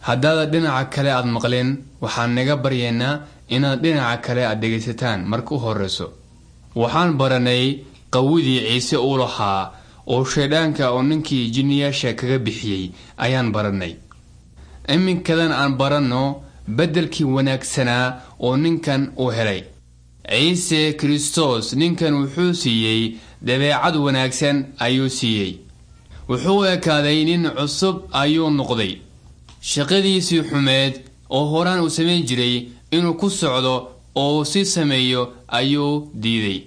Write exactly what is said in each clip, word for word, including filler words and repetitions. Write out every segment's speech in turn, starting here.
Haddaad dhinaca kale aad maqleen, waxaan naga baryaynaa inaad dhinaca kale aad dhegaysataan marka u horreyso. Waxaan baranay qawidii Ciise uu lahaa oo shayddaanka oo ninkii jinniyaasha kaga bixiyey ayaan barannay. Iminkadan aan baranno beddelkii wanaagsanaa oo ninkan uu helay. Ciise Kristos ninkan wuxuu siiyey dabeecad wanaagsan ayuu siiyey. Wuxuu ekaaday nin cusub ayuu noqday. Shaqadiisii xumeed oo horaan uu samayn jiray inuu ku socdo oo sii sameeyo ayuu diiday.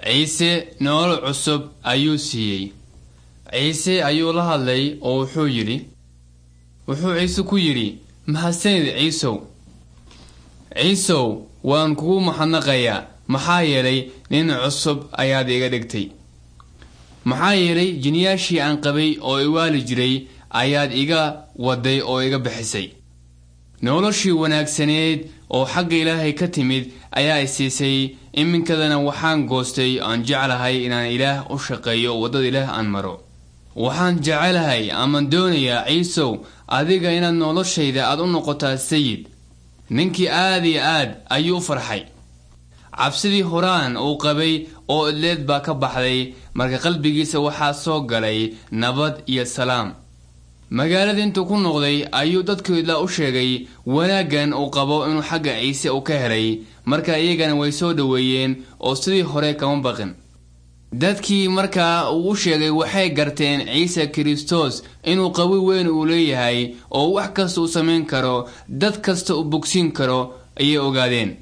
Ciise nolol cusub ayuu siiyey. Ciise ayuu la hadlay oo wuxuu yidhi, wuxuu Ciise ku yidhi, mahadsanid Ciisow. Ciisow, waan kugu mahadnaqayaa, maxaa yeelay nin cusub ayaad iga dhigtay. Maxaa yeelay jinniyaashii aan qabay oo iwaali jiray ayaad iga waday oo iga bixisay. Noloshii wanaagsaneed oo xagga Ilaahay ka timid ayaa i siisay. Iminkadana waxaan goostay aan jeclahay inaan Ilaah u shaqeeyo, waddada Ilaah aan maro. Waxaan jecelahay amaan doonayaa, Ciisow, adiga inaad noloshayda aad u noqotaa sayid. Ninkii aad iyo aad ayuu u farxay. Cabsidii horaan uu qabay oo idleed baa ka baxday, marka qalbigiisa waxaa soo galay nabad iyo salaam. Magaalada intuu ku noqday ayuu dadku idlaa u sheegay wanaaggan uu qabo inuu xagga Ciise uu ka helay. Marka iyagana way soo dhoweeyeen oo sidii hore kama baqin. Dadkii markaa uu u sheegay waxay garteen Ciise Kristos inuu qawi weyn uu leeyahay oo wax kasta uu samayn karo, dad kasta uu bogsiin karo ayay ogaadeen.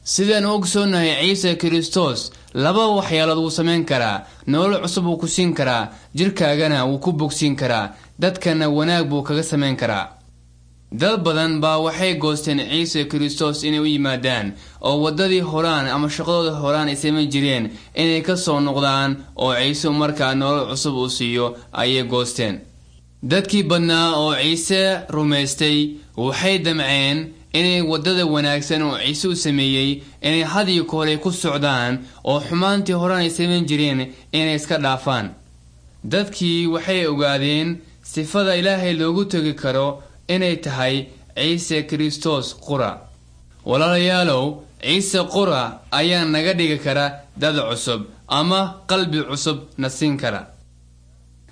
Sidaan u ogsoonnahay, Ciise Kristos laba waxyaalood wuu samayn karaa. Nolol cusub wuu ku siin karaa, jirkaagana wuu ku bogsiin karaa, dadkana wanaag buu kaga samayn karaa. Dad badan baa waxay goosteen Ciise Kristos inay u yimaadaan oo waddadii horaan ama shaqadooda horaan ay samayn jireen inay ka soo noqdaan oo Ciise markaa nolol cusub uu siiyo ayay goosteen. Dadkii badnaa oo Ciise rumaystay waxay damceen inay waddada wanaagsan oo Ciise u sameeyey inay had iyo koolay ku socdaan oo xumaantii horaan ay samayn jireen inay iska dhaafaan. Dadkii waxay ogaadeen sifada Ilaahay loogu tegi karo inay tahay Ciise Kristos qura. Walaalayaalow, Ciise qura ayaa naga dhigi kara dad cusub ama qalbi cusub na siin kara.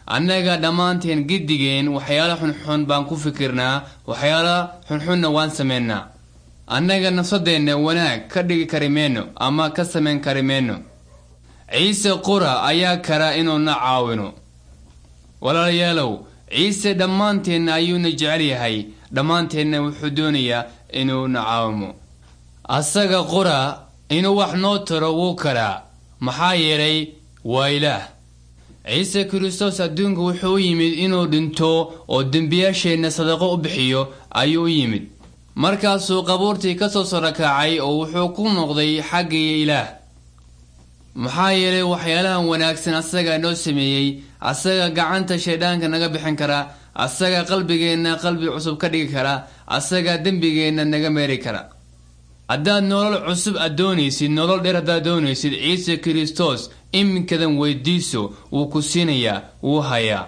Annaga dhammaanteen giddigeen waxyaalo xunxun baan ku fikirnaa, waxyaalo xunxunna waan samaynaa. Annaga nafsadeenna wanaag ka dhigi kari mayno ama ka samayn kari mayno. Ciise qura ayaa kara inuu na caawino. Walaalayaalow, Ciise dhammaanteenna ayuuna jecel yahay, dhammaanteenna wuxuu doonayaa inuu na caawimo. Asaga qura inuu wax noo taro wuu karaa, maxaa yeelay waa Ilaah. Ciise Kristos adduunka wuxuu u yimid inuu dhinto oo dembiyaasheenna sadaqo u bixiyo ayuu u yimid. Markaasuu qabuurtii ka soo sarakacay oo wuxuu ku noqday xaggii Ilaah. Maxaa yeelay waxyaalahan wanaagsan asagaa noo sameeyey, asaga gacanta shayddaanka naga bixin kara, asaga qalbigeenna qalbi cusub ka dhigi kara, asaga dembigeenna naga meeri kara. Haddaad nolol cusub aad doonaysid, nolol dheer haddaad doonaysid, Ciise Kristos iminkadan weydiiso, wuu ku siinayaa, wuu hayaa.